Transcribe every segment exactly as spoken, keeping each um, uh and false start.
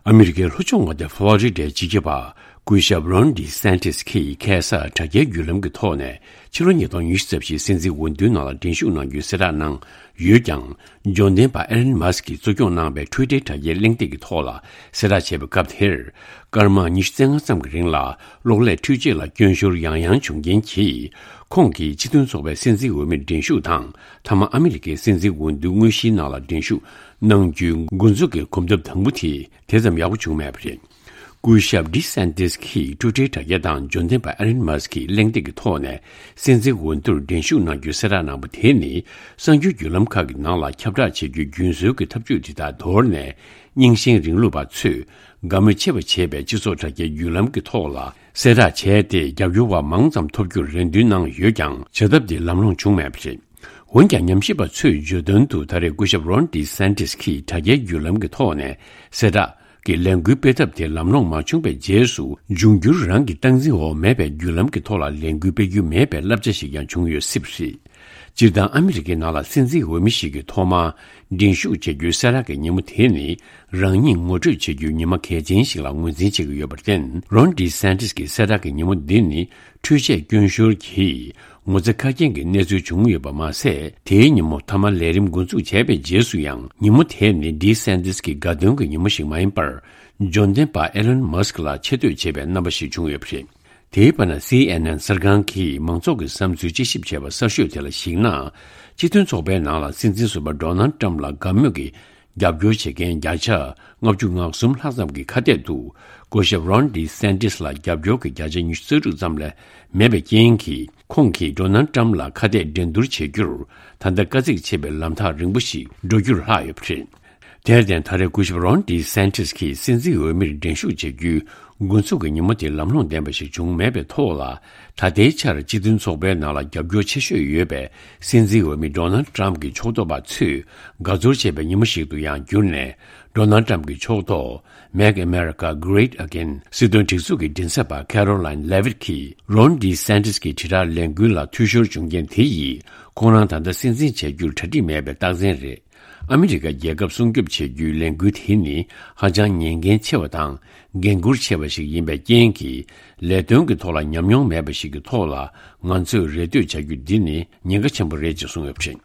ཨ་མི་རི་ཀའི་ལྷོ་ཕྱོགས་མངའ་སྡེ་ཕ་ལོ་རི་ཌའི་སྤྱི་ཁྱབ་པ་སྐུ་ཞབས་རོན་ཌི་སན་ཏིས་ཀྱིས་ཁ་སང་དྲ་རྒྱའི་བརྒྱུད་ལམ་གྱི་ཐོག་ནས་ཕྱི་ལོ་ཉིས་སྟོང་ཉི་ཤུ་རྩ་བཞིའི་སྲིད་འཛིན་འོས་བསྡུའི་ནང་ལ་འགྲན་ཞུགས་གནང་རྒྱུའི་གསལ་བསྒྲགས་གནང་ཡོད་ཀྱང་། འབྱོར་ལྡན་པ་ཨེ་ལན་མཱ་སི་ཀྱིས་གཙོ་སྐྱོང་གནང་བའི་ཊུའི་ཊར་དྲ་རྒྱའི་གླེང་སྟེགས་ཀྱི་ཐོག་ལ་གསལ་བསྒྲགས་བྱས་པའི་སྐབས་དེར། སྐར་མ་ཉི་ཤུ་རྩ་ལྔ་ཙམ་གྱི་རིང་ལ་གློག་ཀླད་འཕྲུལ་ཆས་ལ་སྐྱོན་ཤོར་ཡང་ཡང་བྱུང་རྐྱེན་གྱིས། ཁོང་གིས་སྤྱི་མཐུན་ཚོགས་པའི་སྲིད་འཛིན་འོས་མིར་འགྲན་ཞུགས་དང་། མཐའ་མ་ཨ་མི་རི་ཀའི་སྲིད་འཛིན་འོས་བསྡུ་དངོས་གཞིའི་ནང་ལ་འགྲན་ཞུགས་གནང་རྒྱུའི་འགོ་འཛུགས་ཀྱི་གོམ་སྟབས་དང་པོ་དེ་དེ་ཙམ་ཡག་པོ་བྱུང་མེད་པ་རེད། སྐུ་ཞབས་ཌི་སན་ཏིས་ཀྱིས་ཊུའི་ཊར་དྲ་རྒྱ་དང་འབྱོར་ལྡན་པ་ཨེ་ལན་མཱ་སི་ཀྱི་གླེང་སྟེགས་ཀྱི་ཐོག་ནས་སྲིད་འཛིན་འོས་བསྡུར་འགྲན་ཞུགས་གནང་རྒྱུའི་གསལ་བསྒྲགས་གནང་པ་དེ་ནི། གསར་འགྱུར་བརྒྱུད་ལམ་ཁག་གི་ནང་ལ་ཁྱབ་བསྒྲགས་བྱེད་རྒྱུའི་རྒྱུན་སྲོལ་གྱི་ཐབས་ཇུས་དེ་དག་དོར་ནས། རྙིང་ཞེན་རིང་ལུགས་པ་ཚོས་དགའ་མོས་ཆེ་བ་བྱེད་པའི་སྤྱི་ཚོགས་དྲ་རྒྱའི་བརྒྱུད་ལམ་གྱི་ཐོག་ལ་གསལ་བསྒྲགས་བྱས་ཏེ། རྒྱབ་སྐྱོར་བ་མང་ཙམ་ཐོབ་རྒྱུར་རེ་འདུན་གནང་ཡོད་ཀྱང་། བྱ་ཐབས་དེ་ལམ་ལྷོང་བྱུང་མེད་པ་རེད། འོན་ཀྱང་། ཉམས་ཞིབ་པ་ཚོས་བརྗོད་དོན་དུ། ད་རེས་སྐུ་ཞབས་རོན་ཌི་སན་ཏིས་ཀྱིས་དྲ་རྒྱའི་བརྒྱུད་ལམ་གྱི་ཐོག་ནས་གསལ་བསྒྲགས་ཀྱི་ལས་འགུལ་སྤེལ་ཐབས་དེ་ལམ་ལྷོང་མ་བྱུང་བའི་རྗེས་སུ། འབྱུང་འགྱུར་རང་གི་སྟངས་འཛིན་འོག་མེད་པའི་བརྒྱུད་ལམ་གྱི་ཐོག་ལ་ལས་འགུལ་སྤེལ་རྒྱུ་མེད་པའི་བསླབ་བྱ་ཞིག་ཀྱང་བྱུང་ཡོད་སྲིད་པ་རེད། སྤྱིར་བཏང་ཨ་མི་རི་ཀའི་ནང་ལ་སྲིད་འཛིན་འོས་མི་ཞིག་གིས་ཐོག་མར་འགྲན་ཞུགས་བྱེད་རྒྱུའི་གསལ་བསྒྲགས་ཀྱི་ཉིན་མོ་དེ་ནི། རང་ཉིད་ངོ་སྤྲོད་བྱེད་རྒྱུའི་ཉི་མ་གལ་ཆེན་ཞིག་ལ་ངོས་འཛིན་བྱེད་ཀྱི་ཡོད་པར་བརྟེན། རོན་ཌི་སན་ཏིས་ཀྱི་གསལ་བསྒྲགས་ཀྱི་ཉིན་མོ་འདི་ནི། འཕྲུལ་ཆས་སྐྱོན་ཤོར་གྱིས་ངོ་ཚ་ཁ་སྐྱེངས་ཀྱི་གནས་ཚུལ་བྱུང་ཡོད་པ་མ་ཟད། དེའི་ཉིན་མོ་མཐའ་མ་ལས་རིམ་འགོ་འཛུགས་བྱས་པའི་རྗེས་སུ་ཡང་། ཉིན་མོ་དེ་ནི་ཌི་སན་ཏིས་ཀྱི་དགའ་སྟོན་གྱི་ཉིན་མོ་ཞིག་མ་ཡིན་པར། འབྱོར་ལྡན་པ་ཨེ་ལན་མཱ་སི་ཀི་ལ་ཆེ་བསྟོད་བྱེད་པའི་རྣམ་པ་ཞིག་བྱུང་ཡོད་པ་རེད། དེའི་བར་ན། སི་ཨེན་ཨེན་གསར་ཁང་གིས་མང་ཚོགས་ཀྱི་བསམ་ཚུལ་དཔྱད་ཞིབ་བྱས་པ་གསར་ཤོས་དེ་ལ་གཞིགས་ན། སྤྱི་མཐུན་ཚོགས་པའི་ནང་ལ་སྲིད་འཛིན་ཟུར་པ་ཌོ་ནལ་ཏྲམ་ལ་དགའ་མོས་ཀྱི་རྒྱབ་སྐྱོར་བྱེད་མཁན་བརྒྱ་ཆ་ལྔ་བཅུ་ང་གསུམ་ལྷག་ཙམ་གྱི་ཁ་གཏད་དུ། སྐུ་ཞབས་རོན་ཌི་སན་ཏིས་ལ་རྒྱབ་སྐྱོར་གྱི་བརྒྱ་ཆ་ཉི་ཤུ་རྩ་དྲུག་ཙམ་ལས་མེད་པའི་རྐྱེན་གྱིས། ཁོང་གིས་ཌོ་ནལ་ཏྲམ་ལ་ཁ་གཏད་འགྲན་བསྡུར་བྱེད་རྒྱུར། ད་ལྟ་དཀའ་ཚེགས་ཆེ་བའི་ལམ་ཐག་རིང་པོ་ཞིག་འགྲོ་རྒྱུར་ལྷག་ཡོད་པ་རེད། དེར་བརྟེན། ད་རེས་སྐུ་ཞབས་རོན་ཌི་སན་ཏིས་ཀྱིས་སྲིད་འཛིན་འོས་མིར་འགྲན་ཞུགས་བྱེད་རྒྱུའི་འགོ་འཛུགས་ཀྱི་ཉིན་མོ་དེ་ལམ་ལྷོང་ལྡན་པ་ཞིག་བྱུང་མེད་པའི་ཐོག་ལ། ད་ལྟའི་ཆར་སྤྱི་མཐུན་ཚོགས་པའི་ནང་ལ་རྒྱབ་སྐྱོར་ཆེ་ཤོས་ཡོད་པའི་སྲིད་འཛིན་འོས་མི་ཌོ་ནལ་ཏྲམ་གྱི་ཕྱོགས་གཏོགས་པ་ཚོས་དགའ་ཚོར་བྱེད་པའི་ཉིན་མོ་ཞིག་ཏུ་ཡང་གྱུར་ནས། ཌོ་ནལ་ཏྲམ་གྱི་ཕྱོགས་གཏོགས། Make America Great Again སྲིད་དོན་སྒྲིག་འཛུགས་ཀྱི་མགྲིན་ཚབ་པ་ཁེ་རོ་ལན་ལེ་ཝིཊ་གྱིས། རོན་ཌི་སན་ཏིས་ཀྱི་དྲིལ་བསྒྲགས་ལས་འགུལ་ལ་འཐུས་ཤོར་བྱུང་རྐྱེན་དེ་ཡིས། ཁོང་རང་ད་ལྟ་སྲིད་འཛིན་བྱ་རྒྱུར་གྲ་སྒྲིག་མེད་པའི་རྟགས་མཚན་རེད། ཨ་མི་རི་ཀ་རྒྱལ་ཁབ་སྲུང་སྐྱོབ་བྱེད་རྒྱུའི་ལས་འགུལ་དེ་ནི་ཧ་ཅང་ཉེན་འགན་ཆེ་བ་དང་། འགན་འཁུར་ཆེ་བ་ཞིག་ཡིན་པའི་རྐྱེན་གྱིས། ལས་དོན་གྱི་ཐོག་ལ་ཉམས་མྱོང་མེད་པ་ཞིག་གི་ཐོག་ལ། ང་ཚོས་རེ་ལྟོས་བྱ་རྒྱུ་འདི་ནི་ཉེན་ཁ་ཆེན་པོ་རེད་ཅེས་གསུངས་ཡོད་པ་རེད།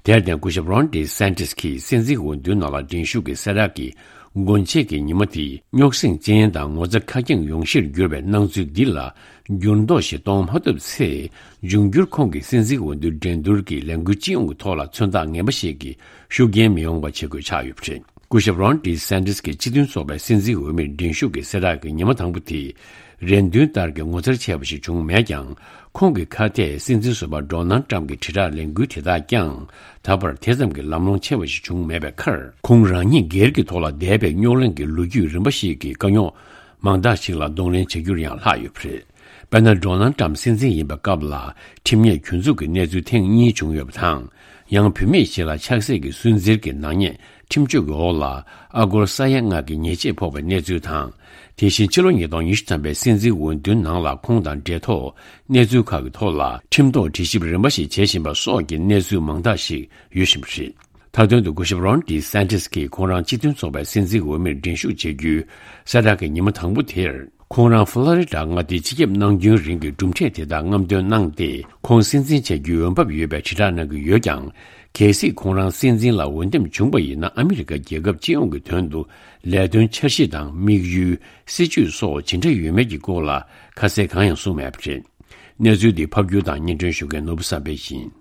དེར་བརྟེན། སྐུ་ཞབས་རོན་ཌི་སན་ཏིས་ཀྱིས་སྲིད་འཛིན་འོས་བསྡུའི་ནང་ལ་འགྲན་ཞུགས་ཀྱི་གསལ་བསྒྲགས་ཀྱི་སྒོ་འབྱེད་ཀྱི་ཉིན་མོ་དེ། རྙོག་ཟིང་ཅན་དང་ངོ་ཚ་ཁ་སྐྱེངས་ཡོང་གཞིར་གྱུར་བའི་སྣང་ཚུལ་འདི་ལ། འགྱུར་ལྡོག་ཞིག་གཏོང་མ་ཐུབ་ཚེ། འབྱུང་འགྱུར་ཁོང་གི་སྲིད་འཛིན་འོས་བསྡུ་འགྲན་བསྡུར་གྱི་ལས་འགུལ་སྤྱི་ཡོངས་ཀྱི་ཐོག་ལ་མཚོན་རྟགས་ངན་པ་ཞིག་གི་ཤུགས་རྐྱེན་མི་ཡོང་བ་བྱེད་དགོས་ཆགས་ཡོད་པ་རེད། སྐུ་ཞབས་རོན་ཌི་སན་ཏིས་ཀྱིས་སྤྱི་མཐུན་ཚོགས་པའི་སྲིད་འཛིན་འོས་མིར་འགྲན་ཞུགས་ཀྱི་གསལ་བསྒྲགས་ཀྱི་ཉིན་མོ་དང་པོ་དེ། རེ་འདུན་ལྟར་གྱི་ངོ་མཚར་ཆེ་བ་ཞིག་བྱུང་མེད་ཀྱང་། ཁོང་གི་ཁ་གཏད་སྲིད་འཛིན་ཟུར་པ་ཌོ་ནལ་ཏྲམ་གྱི་དྲིལ་བསྒྲགས་ལས་འགུལ་དེ་དག་ཀྱང་། ད་བར་དེ་ཙམ་གྱི་ལམ་ལྷོང་ཆེ་བ་ཞིག་བྱུང་མེད་པའི་ཁར། ཁོང་རང་ཉིད་སྒེར་གྱི་ཐོག་ལ་འདས་པའི་རྙོག་གླེང་གི་ལོ་རྒྱུས་རིམ་པ་ཞིག་གི་དཀའ་རྙོག་མང་དག་ཞིག་ལ་གདོང་ལེན་བྱ་རྒྱུར་ཡང་ལྷག་ཡོད་པ་རེད། དཔེར་ན། ཌོ་ནལ་ཏྲམ་སྲིད་འཛིན་ཡིན་པའི་སྐབས་ལ། ཁྲིམས་ཉེས་གྱོད་འཛུགས་ཀྱི་གནས་ཚུལ་ཐེངས་གཉིས་བྱུང་ཡོད་པ་དང་། ཡང་། བུད་མེད་ཞིག་ལ་ཆགས་སྲེད་ཀྱི་སུན་གཙེར་གྱི་ནག་ཉེས་ཁྲིམས་གཅོད་ཀྱི་འོག་ལ། ཨ་སྒོར་ས་ཡ་ལྔ་གི་ཉེས་ཆད་ཕོག་པའི་གནས་ཚུལ་དང་། དེ་བཞིན། ཕྱི་ལོ་ཉིས་སྟོང་ཉི་ཤུ་ཐམ་པའི་སྲིད་འཛིན་འོས་བསྡུའི་ནང་ལ། ཁོང་དང་འབྲེལ་ཐོགས་གནས་ཚུལ་ཁག་གི་ཐོག་ལ། ཁྲིམས་ཐོག་དྲི་ཞིབ་རིམ་པ་ཞིག་བྱེད་བཞིན་པ་སོགས་ཀྱི་གནས་ཚུལ་མང་དག་ཞིག་ཡོད་བཞིན་པ་རེད། མཐའ་དོན་དུ། སྐུ་ཞབས་རོན་ཌི་སན་ཏིས་ཀྱིས་ཁོང་རང་སྤྱི་མཐུན་ཚོགས་པའི་སྲིད་འཛིན་འོས་མིར་འགྲན་ཞུགས་བྱེད་རྒྱུའི་གསལ་བསྒྲགས་ཀྱི་ཉིན་མོ་དང་པོ་དེར། ཁོང་རང་ཕ་ལོ་རི་ཌ་མངའ་སྡེའི་སྤྱི་ཁྱབ་གནང་རྒྱུན་རིང་གྱི་གྲུབ་འབྲས་དེ་དག་རྔམ་སྟོན་གནང་སྟེ། ཁོང་སྲིད་འཛིན་བྱ་རྒྱུའི་འོས་འབབ་ཡོད་པའི་དྲིལ་བསྒྲགས་གནང་གི་ཡོད་ཀྱང་། གལ་སྲིད་ཁོང་རང་སྲིད་འཛིན་ལ་འོས་འདེམས་བྱུང་བ་ཡིན་ན། ཨ་མི་རི་ཀ་རྒྱལ་ཁབ་སྤྱི་ཡོངས་ཀྱི་དོན་དུ་ལས་དོན་འཆར་གཞི་དང་། དམིགས་ཡུལ། སྲིད་ཇུས་སོགས་ཇི་འདྲ་ཡོད་མེད་ཀྱི་སྐོར་ལ་ཁ་གསལ་གང་ཡང་གསུངས་མེད་པ་རེད། གནས་ཚུལ་འདི་ཕབ་སྒྱུར་དང་སྙན་སྒྲོན་ཞུ་མཁན་ནོར་བུ་བསམ་འཕེལ་ཡིན།